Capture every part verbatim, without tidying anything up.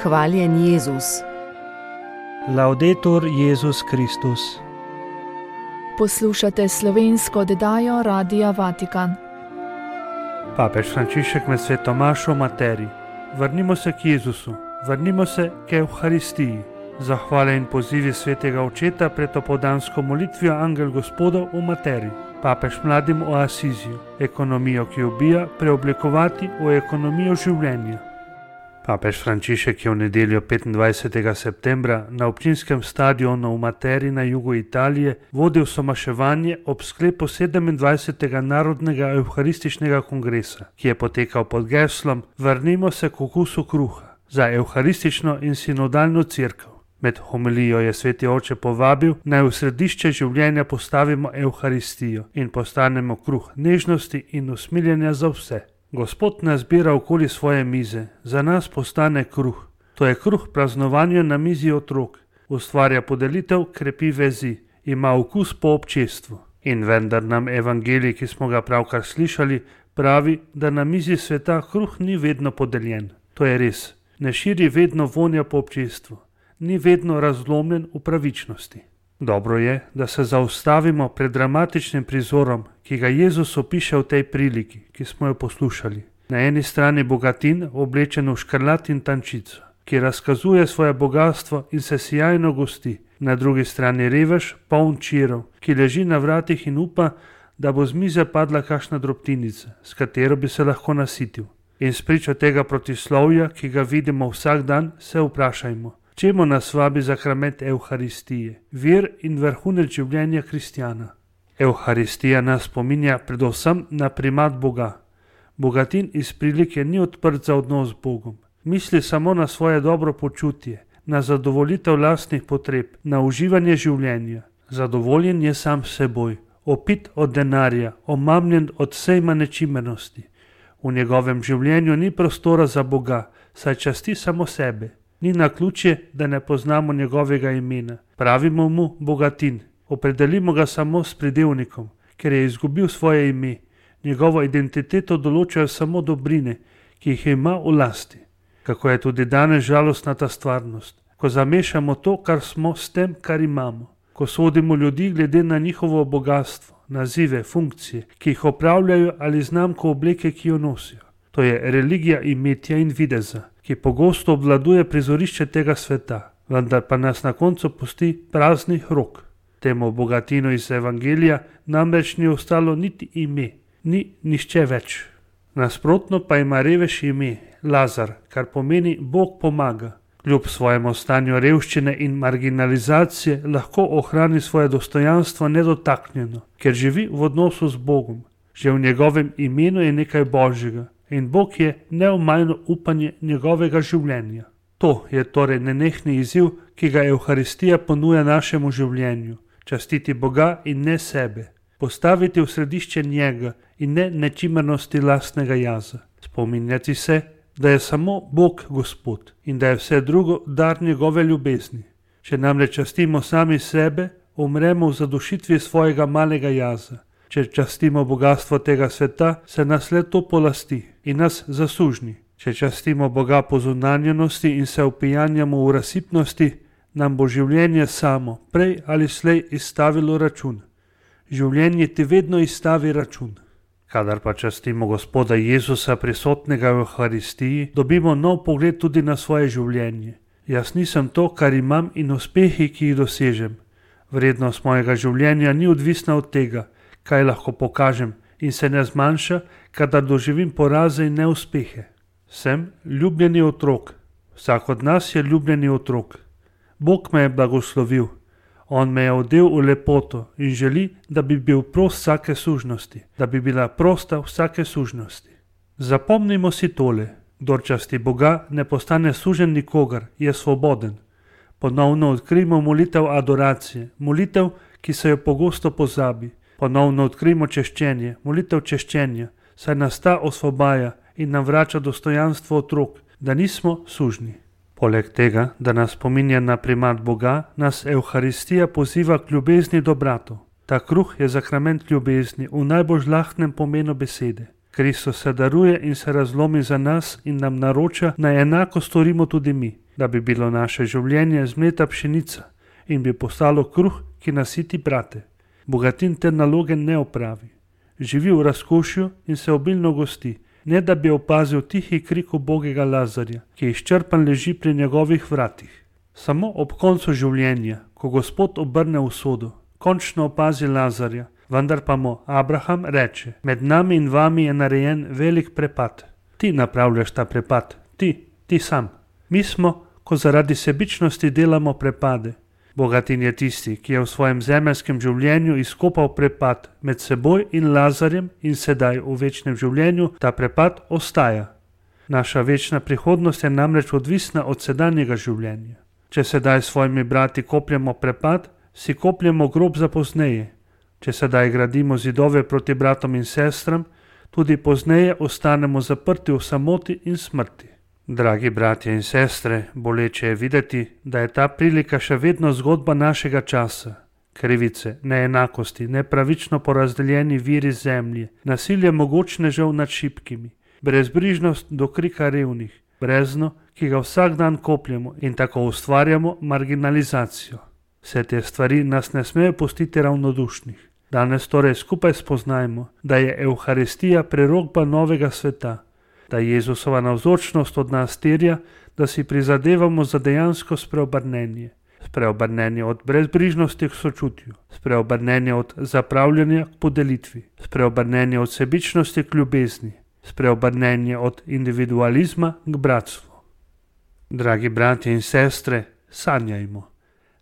Hvaljen Jezus. Laudetur Jezus Kristus. Poslušate slovensko oddajo Radia Vatikan. Papež Frančišek med sveto mašo o materiji. Vrnimo se k Jezusu, vrnimo se k Evharistiji. Zahvale in pozivi svetega očeta pred opoldansko molitvijo Angel Gospodov v materiji. Papež mladim o Asiziju, ekonomijo, ki ubija, preoblikovati v ekonomijo življenja. Papež Frančišek je v nedeljo petindvajsetega septembra na občinskem stadionu v Materi na jugu Italije vodil somaševanje ob sklepu sedemindvajsetega narodnega evharističnega kongresa, ki je potekal pod geslom Vrnimo se k okusu kruha za evharistično in sinodalno cerkev. Med homilijo je sveti oče povabil, naj v središče življenja postavimo evharistijo in postanemo kruh nežnosti in usmiljenja za vse. Gospod nas zbira okoli svoje mize, za nas postane kruh. To je kruh praznovanja na mizi otrok, ustvarja podelitev, krepi vezi, ima okus po občestvu. In vendar nam evangelij, ki smo ga pravkar slišali, pravi, da na mizi sveta kruh ni vedno podeljen. To je res, ne širi vedno vonja po občestvu, ni vedno razlomljen v pravičnosti. Dobro je, da se zaustavimo pred dramatičnim prizorom, ki ga Jezus opiše v tej priliki, ki smo jo poslušali. Na eni strani bogatin, oblečen v škrlat in tančico, ki razkazuje svoje bogatstvo in se sijajno gosti. Na drugi strani revež, poln čirov, ki leži na vratih in upa, da bo z mize padla kakšna drobtinica, s katero bi se lahko nasitil. In spričo tega protislovja, ki ga vidimo vsak dan, se vprašajmo, čemu nas vabi sakrament Evharistije, vir in vrhunec življenja kristjana. Evharistija nas spominja predvsem na primat Boga. Bogatin iz prilike ni odprt za odnos z Bogom. Misli samo na svoje dobro počutje, na zadovoljitev lastnih potreb, na uživanje življenja. Zadovoljen je sam s seboj, opit od denarja, omamljen od sejma nečimernosti. V njegovem življenju ni prostora za Boga, saj časti samo sebe. Ni naključje, da ne poznamo njegovega imena. Pravimo mu bogatin. Opredelimo ga samo s pridevnikom, ker je izgubil svoje ime. Njegovo identiteto določajo samo dobrine, ki jih ima v lasti. Kako je tudi danes žalostna ta stvarnost, ko zamešamo to, kar smo, s tem, kar imamo. Ko sodimo ljudi glede na njihovo bogatstvo, nazive, funkcije, ki jih opravljajo ali znamko obleke, ki jo nosijo. To je religija imetja in videza, ki pogosto obvladuje prizorišče tega sveta, vendar pa nas na koncu pusti praznih rok. Temu bogatinu iz evangelija namreč ni ostalo niti ime, ni nišče več. Nasprotno pa ima revež ime, Lazar, kar pomeni Bog pomaga. Kljub svojemu stanju revščine in marginalizacije lahko ohrani svoje dostojanstvo nedotaknjeno, ker živi v odnosu z Bogom. Že v njegovem imenu je nekaj božjega. In Bog je neomajno upanje njegovega življenja. To je torej nenehni izziv, ki ga Evharistija ponuja našemu življenju. Častiti Boga in ne sebe. Postaviti v središče njega in ne nečimernosti lastnega jaza. Spominjati se, da je samo Bog Gospod in da je vse drugo dar njegove ljubezni. Če namreč častimo sami sebe, umremo v zadušitvi svojega malega jaza. Če častimo bogatstvo tega sveta, se nas le to polasti in nas zasužni. Če častimo Boga po zunanjenosti in se opijanjamo v razsipnosti, nam bo življenje samo prej ali slej izstavilo račun. Življenje ti vedno izstavi račun. Kadar pa častimo Gospoda Jezusa prisotnega v Evharistiji, dobimo nov pogled tudi na svoje življenje. Jaz nisem to, kar imam in uspehi, ki jih dosežem. Vrednost mojega življenja ni odvisna od tega, kaj lahko pokažem, in se ne zmanjša, kadar doživim poraze in neuspehe. Sem ljubljeni otrok. Vsak od nas je ljubljeni otrok. Bog me je blagoslovil. On me je odel v lepoto in želi, da bi bil prost vsake sužnosti, da bi bila prosta vsake sužnosti. Zapomnimo si tole. Kdor časti Boga, ne postane sužen nikogar, je svoboden. Ponovno odkrijmo molitev adoracije, molitev, ki se jo pogosto pozabi. Ponovno odkrijmo češčenje, molitev češčenja, saj nas ta osvobaja in nam vrača dostojanstvo otrok, da nismo sužni. Poleg tega, da nas spominja na primat Boga, nas Evharistija poziva k ljubezni do bratov. Ta kruh je sakrament ljubezni v najbolj žlahtnem pomenu besede. Kristus se daruje in se razlomi za nas in nam naroča, naj enako storimo tudi mi. da bi bilo naše življenje zmleta pšenica in bi postalo kruh, ki nasiti brate. Bogatin te naloge ne opravi. Živi v razkošju in se obilno gosti, ne da bi opazil tihi krik ubogega Lazarja, ki izčrpan leži pri njegovih vratih. Samo ob koncu življenja, ko Gospod obrne usodo, končno opazi Lazarja, vendar pa mu Abraham reče: med nami in vami je narejen velik prepad. Ti napravljaš ta prepad, ti, ti sam. Mi smo, ko zaradi sebičnosti delamo prepade. Bogatin je tisti, ki je v svojem zemeljskem življenju izkopal prepad med seboj in Lazarjem in sedaj v večnem življenju ta prepad ostaja. Naša večna prihodnost je namreč odvisna od sedanjega življenja. Če sedaj s svojimi brati kopljemo prepad, si kopljemo grob za pozneje. Če sedaj gradimo zidove proti bratom in sestram, tudi pozneje ostanemo zaprti v samoti in smrti. Dragi bratje in sestre, boleče je videti, da je ta prilika še vedno zgodba našega časa. Krivice, neenakosti, nepravično porazdeljeni viri zemlje, nasilje mogočnežev nad šibkimi, brezbrižnost do krika revnih, brezno, ki ga vsak dan kopljemo in tako ustvarjamo marginalizacijo. Vse te stvari nas ne smejo pustiti ravnodušnih. Danes torej skupaj spoznajmo, da je Evharistija prerokba novega sveta, da Jezusova navzočnost od nas terja, da si prizadevamo za dejansko spreobrnenje. Spreobrnenje od brezbrižnosti k sočutju, spreobrnenje od zapravljanja k podelitvi, spreobrnenje od sebičnosti k ljubezni, spreobrnenje od individualizma k bratstvu. Dragi bratje in sestre, sanjajmo.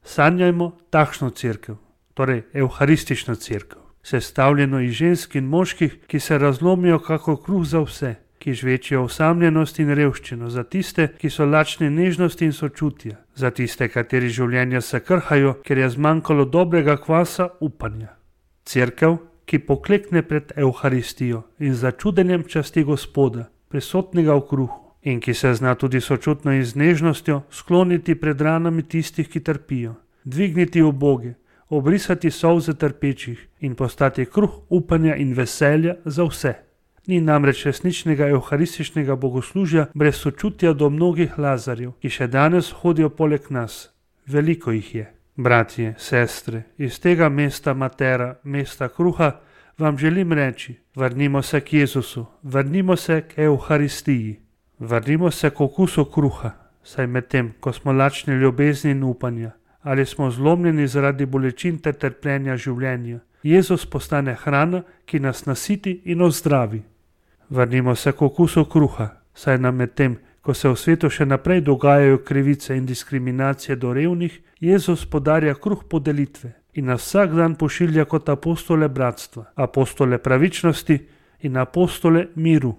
Sanjajmo takšno cerkev, torej evharistično cerkev, sestavljeno iz žensk in moških, ki se razlomijo kako kruh za vse, ki žvečijo osamljenost in revščino, za tiste, ki so lačni nežnosti in sočutja, za tiste, kateri življenja se krhajo, ker je zmanjkalo dobrega kvasa upanja. Cerkev, ki poklekne pred Evharistijo in z začudenjem časti Gospoda, prisotnega v kruhu, in ki se zna tudi sočutno in z nežnostjo skloniti pred ranami tistih, ki trpijo, dvigniti uboge, obrisati solze trpečih in postati kruh upanja in veselja za vse. Ni namreč resničnega evharističnega bogoslužja brez sočutja do mnogih Lazarjev, ki še danes hodijo poleg nas. Veliko jih je. Bratje, sestre, iz tega mesta Matera, mesta kruha, vam želim reči: vrnimo se k Jezusu, vrnimo se k Evharistiji, vrnimo se k okusu kruha, saj medtem, ko smo lačni ljubezni in upanja, ali smo zlomljeni zaradi bolečin ter trpljenja življenja, Jezus postane hrana, ki nas nasiti in ozdravi. Vrnimo se k okusu kruha, saj nam medtem, ko se v svetu še naprej dogajajo krivice in diskriminacije do revnih, Jezus podarja kruh podelitve in nas vsak dan pošilja kot apostole bratstva, apostole pravičnosti in apostole miru.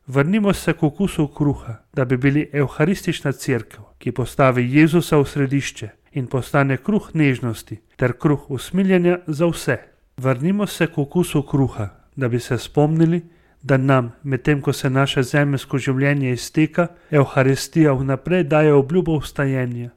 Vrnimo se k okusu kruha, da bi bili evharistična cerkev, ki postavi Jezusa v središče in postane kruh nežnosti ter kruh usmiljenja za vse. Vrnimo se k okusu kruha, da bi se spomnili, da nam, medtem ko se naše zemeljsko življenje izteka, Evharistija vnaprej daje obljubo vstajenja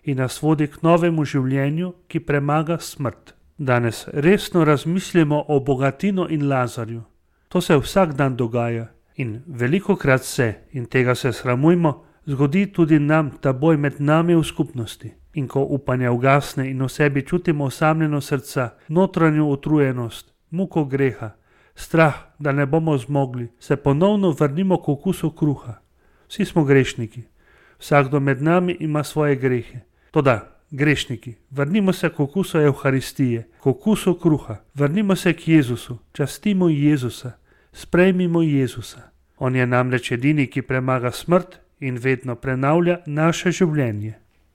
in nas vodi k novemu življenju, ki premaga smrt. Danes resno razmislimo o Bogatinu in Lazarju. To se vsak dan dogaja in velikokrat se, in tega se sramujmo, zgodi tudi nam ta boj med nami v skupnosti. In ko upanje ugasne in v sebi čutimo osamljeno srca, notranjo utrujenost, muko greha, strah, da ne bomo zmogli, se ponovno vrnimo k okusu kruha. Vsi smo grešniki. Vsakdo med nami ima svoje grehe. Toda, grešniki, vrnimo se k okusu Evharistije, k okusu kruha. Vrnimo se k Jezusu, častimo Jezusa, sprejmimo Jezusa. On je namreč edini, ki premaga smrt in vedno prenavlja naše življenje.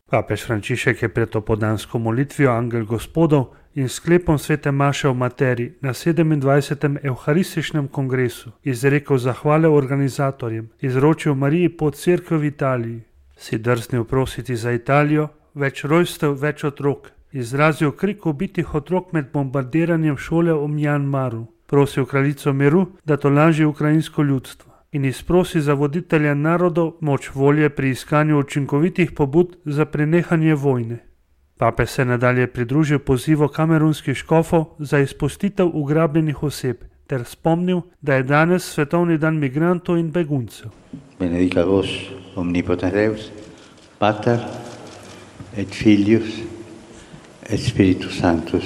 Papež Frančišek je pred opoldansko molitvijo Angel Gospodov in sklepom svete maše v Materi na sedemindvajsetem evharističnem kongresu izrekel zahvale organizatorjem, izročil Mariji pod cerkev v Italiji, si drznil prositi za Italijo, več rojstev, več otrok, izrazil krik ubitih otrok med bombardiranjem šole v Mjanmaru, prosil kraljico miru, da tolaži ukrajinsko ljudstvo in izprosi za voditelja narodov moč volje pri iskanju učinkovitih pobud za prenehanje vojne. Papež se nadalje pridružil pozivu kamerunskih škofov za izpustitev ugrabljenih oseb ter spomnil, da je danes svetovni dan migrantov in beguncev. Benedica vos, omnipotens Deus, Pater et Filius et Spiritus Sanctus.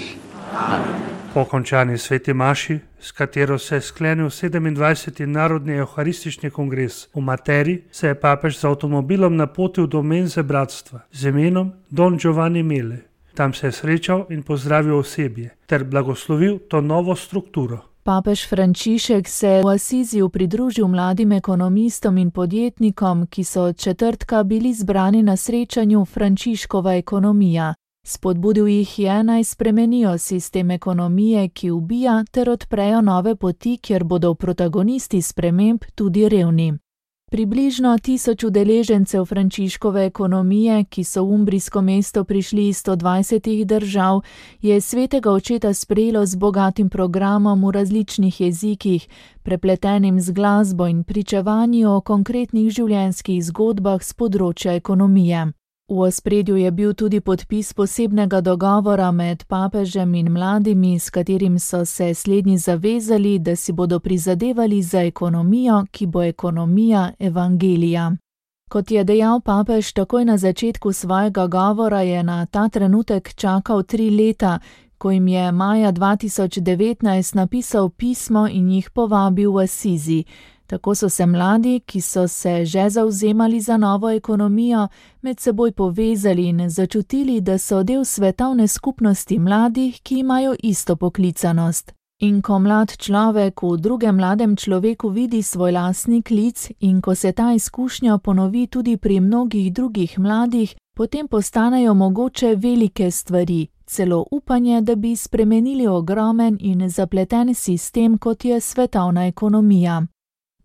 Po končani sveti maši, s katero se je sklenil sedemindvajseti Narodni evharistični kongres v Materi, se je papež z avtomobilom napotil do menze bratstva z imenom Don Giovanni Mele. Tam se je srečal in pozdravil osebje ter blagoslovil to novo strukturo. Papež Frančišek se je v Asiziju pridružil mladim ekonomistom in podjetnikom, ki so od četrtka bili zbrani na srečanju Frančiškova ekonomija. Spodbudil jih je, naj spremenijo sistem ekonomije, ki ubija, ter odprejo nove poti, kjer bodo protagonisti sprememb tudi revni. Približno tisoč udeležencev Frančiškove ekonomije, ki so v umbrijsko mesto prišli iz sto dvajsetih držav, je svetega očeta sprejelo z bogatim programom v različnih jezikih, prepletenim z glasbo in pričevanji o konkretnih življenjskih zgodbah z področja ekonomije. V ospredju je bil tudi podpis posebnega dogovora med papežem in mladimi, s katerim so se slednji zavezali, da si bodo prizadevali za ekonomijo, ki bo ekonomija evangelija. Kot je dejal papež takoj na začetku svojega govora, je na ta trenutek čakal tri leta, ko jim je maja dva tisoč devetnajst napisal pismo in jih povabil v Asizi. Tako so se mladi, ki so se že zavzemali za novo ekonomijo, med seboj povezali in začutili, da so del svetovne skupnosti mladih, ki imajo isto poklicanost. In ko mlad človek v drugem mladem človeku vidi svoj lastni klic in ko se ta izkušnja ponovi tudi pri mnogih drugih mladih, potem postanejo mogoče velike stvari, celo upanje, da bi spremenili ogromen in zapleten sistem, kot je svetovna ekonomija.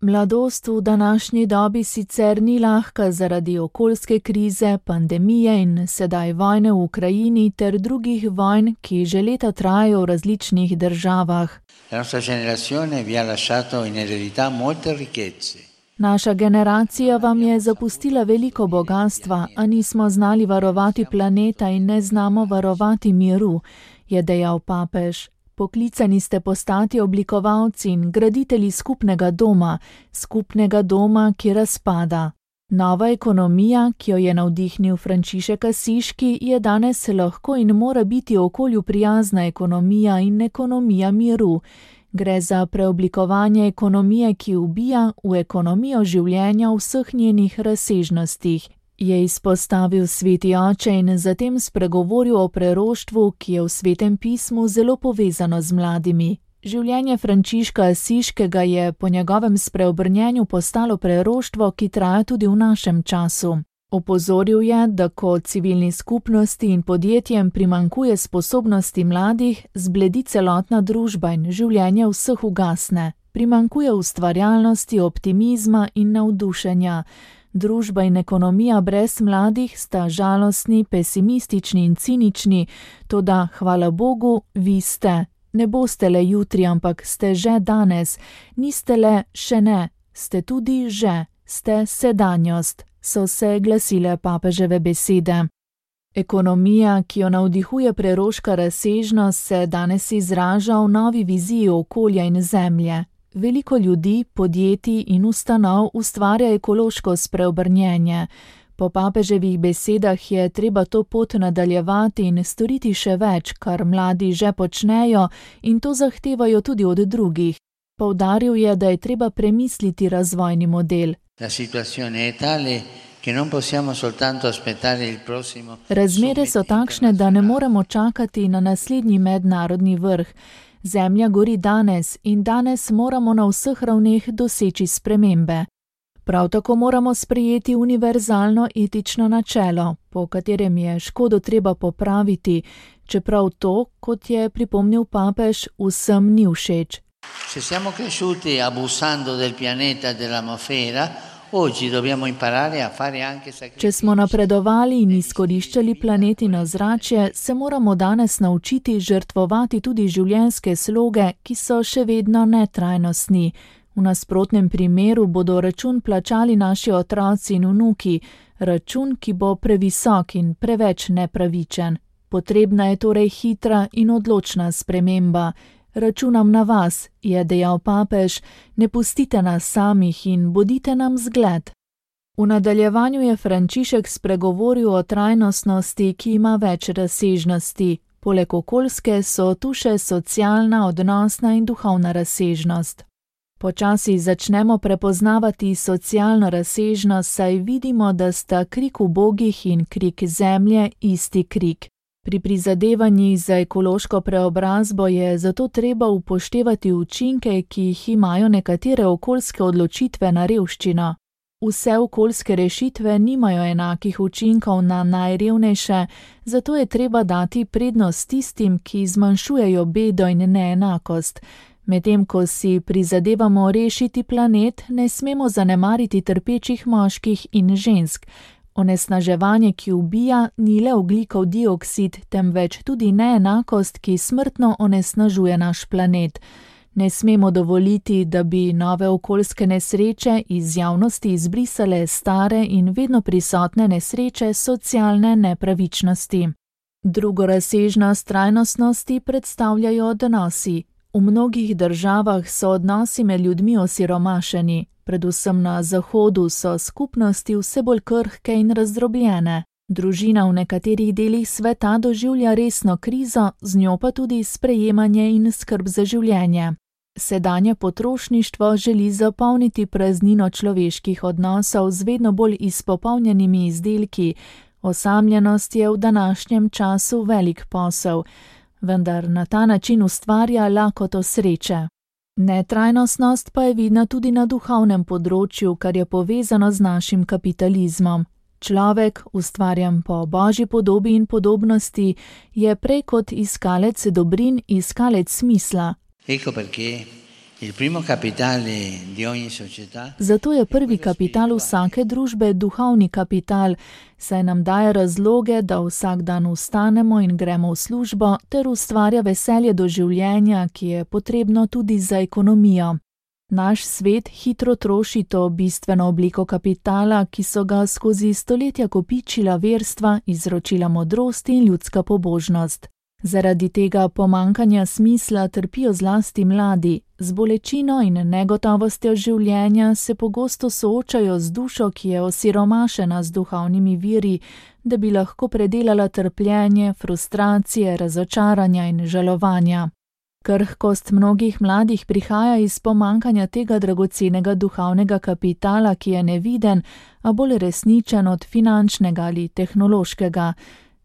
Mladost v današnji dobi sicer ni lahka zaradi okoljske krize, pandemije in sedaj vojne v Ukrajini ter drugih vojn, ki že leta trajajo v različnih državah. Naša generacija vam je zapustila veliko bogastva, a nismo znali varovati planeta in ne znamo varovati miru, je dejal papež. Poklicani ste postati oblikovalci in graditelji skupnega doma, skupnega doma, ki razpada. Nova ekonomija, ki jo je navdihnil Frančišek Asiški, je danes lahko in mora biti okolju prijazna ekonomija in ekonomija miru. Gre za preoblikovanje ekonomije, ki ubija, v ekonomijo življenja v vseh njenih razsežnostih, je izpostavil sveti oče in zatem spregovoril o preroštvu, ki je v svetem pismu zelo povezano z mladimi. Življenje Frančiška Asiškega je po njegovem spreobrnjenju postalo preroštvo, ki traja tudi v našem času. Opozoril je, da ko civilni skupnosti in podjetjem primanjkuje sposobnosti mladih, zbledi celotna družba in življenje vseh ugasne. Primanjkuje ustvarjalnosti, optimizma in navdušenja. Družba in ekonomija brez mladih sta žalostni, pesimistični in cinični, toda, hvala Bogu, vi ste. Ne boste le jutri, ampak ste že danes. Niste le še ne, ste tudi že, ste sedanjost, so se glasile papeževe besede. Ekonomija, ki jo navdihuje preroška razsežnost, se danes izraža v novi viziji okolja in zemlje. Veliko ljudi, podjetij in ustanov ustvarja ekološko spreobrnjenje. Po papeževih besedah je treba to pot nadaljevati in storiti še več, kar mladi že počnejo in to zahtevajo tudi od drugih. Poudaril je, da je treba premisliti razvojni model. Razmere so takšne, da ne moremo čakati na naslednji mednarodni vrh. Zemlja gori danes in danes moramo na vseh ravneh doseči spremembe. Prav tako moramo sprejeti univerzalno etično načelo, po katerem je škodo treba popraviti, čeprav to, kot je pripomnil papež, vsem ni všeč. Se siamo cresciuti abusando del pianeta dell'atmosfera, oggi dobbiamo imparare a fare anche sacrifici. Če smo napredovali in izkoriščali planet in ozračje, se moramo danes naučiti žrtvovati tudi življenjske sloge, ki so še vedno netrajnostni. V nasprotnem primeru bodo račun plačali naši otroci in vnuki, račun, ki bo previsok in preveč nepravičen. Potrebna je torej hitra in odločna sprememba. Računam na vas, je dejal papež, ne pustite nas samih in bodite nam zgled. V nadaljevanju je Frančišek spregovoril o trajnostnosti, ki ima več razsežnosti. Poleg okoljske so tu še socialna, odnosna in duhovna razsežnost. Počasi začnemo prepoznavati socialno razsežnost, saj vidimo, da sta krik ubogih in krik zemlje isti krik. Pri prizadevanjih za ekološko preobrazbo je zato treba upoštevati učinke, ki jih imajo nekatere okoljske odločitve na revščino. Vse okoljske rešitve nimajo enakih učinkov na najrevnejše, zato je treba dati prednost tistim, ki zmanjšujejo bedo in neenakost. Medtem ko si prizadevamo rešiti planet, ne smemo zanemariti trpečih moških in žensk. Onesnaževanje, ki ubija, ni le ogljikov dioksid, temveč tudi neenakost, ki smrtno onesnažuje naš planet. Ne smemo dovoliti, da bi nove okoljske nesreče iz javnosti izbrisale stare in vedno prisotne nesreče socialne nepravičnosti. Drugo razsežnost trajnostnosti predstavljajo odnosi. V mnogih državah so odnosi med ljudmi osiromašeni. Predvsem na Zahodu so skupnosti vse bolj krhke in razdrobljene. Družina v nekaterih delih sveta doživlja resno krizo, z njo pa tudi sprejemanje in skrb za življenje. Sedanje potrošništvo želi zapolniti praznino človeških odnosov z vedno bolj izpopolnjenimi izdelki. Osamljenost je v današnjem času velik posel, vendar na ta način ustvarja lakoto sreče. Netrajnostnost pa je vidna tudi na duhovnem področju, kar je povezano z našim kapitalizmom. Človek, ustvarjen po Božji podobi in podobnosti, je prej kot iskalec dobrin iskalec smisla. Ecco perché il primo capitale di ogni società. Zato je prvi kapital vsake družbe duhovni kapital, saj nam daje razloge, da vsak dan vstanemo in gremo v službo, ter ustvarja veselje do življenja, ki je potrebno tudi za ekonomijo. Naš svet hitro troši to bistveno obliko kapitala, ki so ga skozi stoletja kopičila verstva, izročila modrost in ljudska pobožnost. Zaradi tega pomanjkanja smisla trpijo zlasti mladi, z bolečino in negotovostjo življenja se pogosto soočajo z dušo, ki je osiromašena z duhovnimi viri, da bi lahko predelala trpljenje, frustracije, razočaranja in žalovanja. Krhkost mnogih mladih prihaja iz pomanjkanja tega dragocenega duhovnega kapitala, ki je neviden, a bolj resničen od finančnega ali tehnološkega.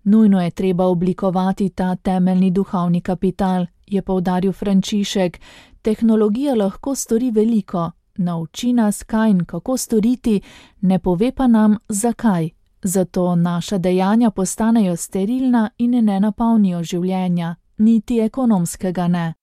Nujno je treba oblikovati ta temeljni duhovni kapital, je poudaril Frančišek. Tehnologija lahko stori veliko, nauči nas, kaj in kako storiti, ne pove pa nam, zakaj. Zato naša dejanja postanejo sterilna in ne napolnijo življenja, niti ekonomskega ne.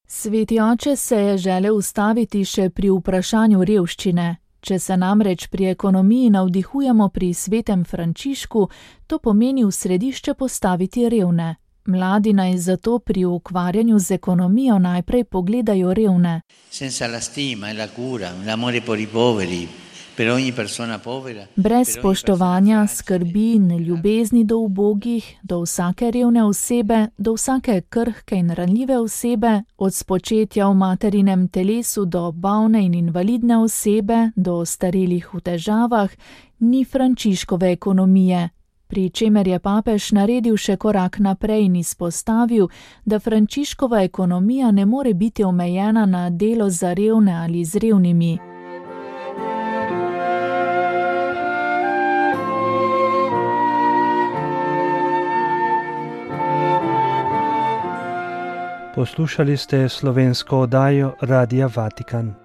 Sveti oče se je želel ustaviti še pri vprašanju revščine. Če se namreč pri ekonomiji navdihujemo pri svetem Frančišku, to pomeni v središče postaviti revne. Mladi naj zato pri ukvarjanju z ekonomijo najprej pogledajo revne. Senza la stima e la cura, l'amore per i poveri, per ogni persona povera. Brez spoštovanja, skrbi in ljubezni do ubogih, do vsake revne osebe, do vsake krhke in ranljive osebe, od spočetja v materinem telesu do bolne in invalidne osebe, do ostarelih v težavah, ni Frančiškove ekonomije. Pri čemer je papež naredil še korak naprej in izpostavil, da Frančiškova ekonomija ne more biti omejena na delo za revne ali z revnimi. Poslušali ste slovensko oddajo Radia Vatikan.